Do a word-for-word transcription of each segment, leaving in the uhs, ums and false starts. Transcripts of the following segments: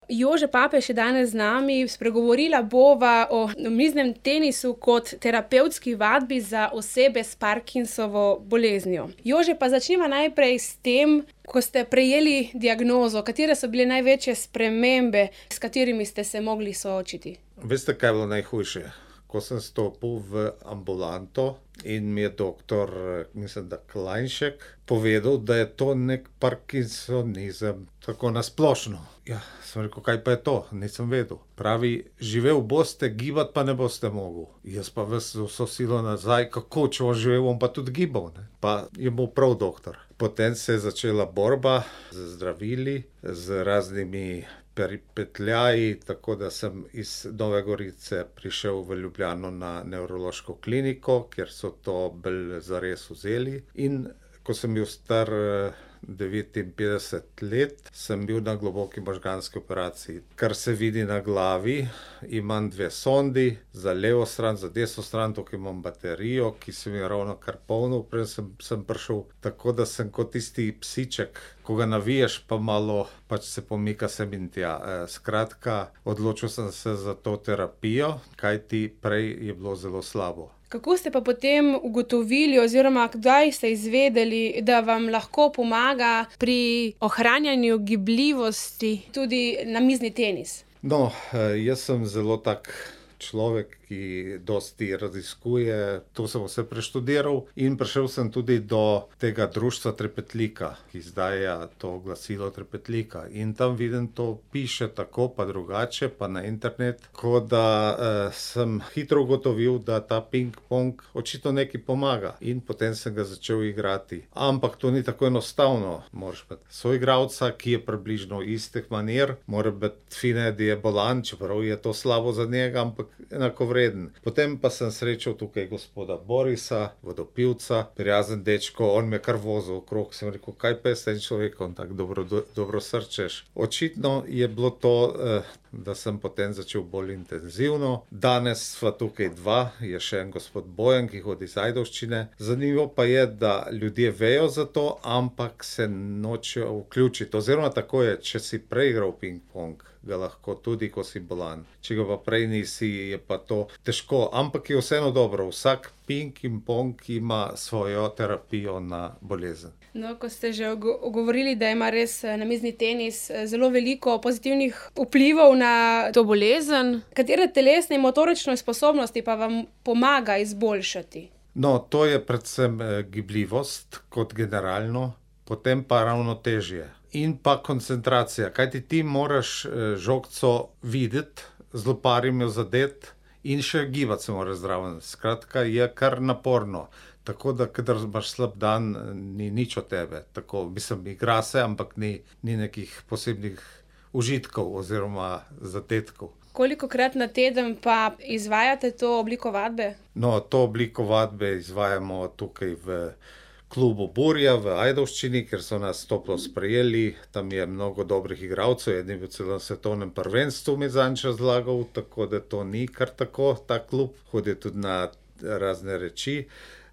Jože Papež je danes z nami, spregovorila bova o namiznem tenisu kot terapevtski vadbi za osebe s Parkinsovo boleznijo. Jože, pa začniva najprej s tem, ko ste prejeli diagnozo, katere so bile največje spremembe, s katerimi ste se mogli soočiti? Veste, kaj je bilo najhujše? Ko sem stopil v ambulanto in mi je doktor, mislim, da Klajnšek, povedal, da je to nek parkinsonizem, tako na splošno. Ja, sem rekel, kaj pa je to? Nisem vedel. Pravi, živel boste, gibati pa ne boste mogel. Jaz pa ves z vso silo nazaj, kako, če bom živel, bom pa tudi gibal, ne. Pa je bil prav doktor. Potem se je začela borba z zdravili, z raznimi peripetljaji, tako da sem iz Nove Gorice prišel v Ljubljano na nevrološko kliniko, kjer so to bolj zares vzeli. In ko sem bil star devetinpetdeset let, sem bil na globoki možganski operaciji. Kar se vidi na glavi, imam dve sondi, za levo stran, za desno stran, tukaj imam baterijo, ki sem jo ravnokar polnil, prej sem, sem prišel, tako da sem kot tisti psiček, ko ga naviješ, pa malo pač se pomika sem in tja. Skratka, odločil sem se za to terapijo, kajti prej je bilo zelo slabo. Kako ste pa potem ugotovili oziroma kdaj ste izvedeli, da vam lahko pomaga pri ohranjanju gibljivosti tudi namizni tenis? No, jaz sem zelo tak človek, ki dosti raziskuje, to sem vse preštudiral in prišel sem tudi do tega društva Trepetlika, ki izdaja to glasilo Trepetlika. In tam vidim, to piše tako pa drugače, pa na internet, tako da eh, sem hitro ugotovil, da ta ping-pong očitno nekaj pomaga. In potem sem ga začel igrati. Ampak to ni tako enostavno. Moraš biti soigralca, ki je približno istih manir, mora biti fine, da je bolan, čeprav je to slabo za njega, ampak enako vreden. Potem pa sem srečal tukaj gospoda Borisa, vodopivca, prijazen dečko, on me kar vozil okrog, sem rekel, kaj pa je s tem človekom, tako dobro, dobro srčeš. Očitno je bilo to, da sem potem začel bolj intenzivno. Danes sva tukaj dva, je še en gospod Bojan, ki hodi iz Ajdovščine. Zanimivo pa je, da ljudje vejo za to, ampak se nočejo vključiti. Oziroma tako je, če si preigral ping-pong, ga lahko tudi, ko si bolan. Če ga pa prej nisi, je pa to težko, ampak je vseeno dobro. Vsak ping in pong ima svojo terapijo na bolezen. No, ko ste že govorili, da ima res namizni tenis zelo veliko pozitivnih vplivov na to bolezen, katere telesne in motorične sposobnosti pa vam pomaga izboljšati? No, to je predvsem gibljivost kot generalno, potem pa ravnotežje. In pa koncentracija, kajti ti moraš žogco videti, z loparjem jo zadeti in še gibati se moraš zraven. Skratka, je kar naporno. Tako da, kadar imaš slab dan, ni nič od tebe. Tako, mislim, igra se, ampak ni, ni nekih posebnih užitkov oziroma zadetkov. Kolikokrat na teden pa izvajate to obliko vadbe? No, to obliko vadbe izvajamo tukaj v klubu Burja v Ajdovščini, ker so nas toplo sprejeli. Tam je mnogo dobrih igralcev, eden je bil celo na svetovnem prvenstvu, mi zadnjič razlagal, tako da to ni kar tako, ta klub. Hodi tudi na razne reči.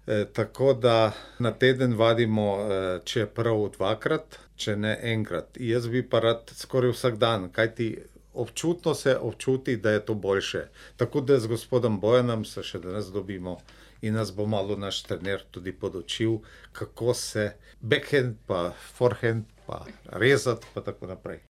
E, tako da na teden vadimo, e, če je prav dvakrat, če ne enkrat. Jaz bi pa rad skoraj vsak dan, kajti občutno se občuti, da je to boljše. Tako da z gospodom Bojanom se še danes dobimo in nas bo malo naš trener tudi podučil, kako se backhand pa forehand pa rezati pa tako naprej.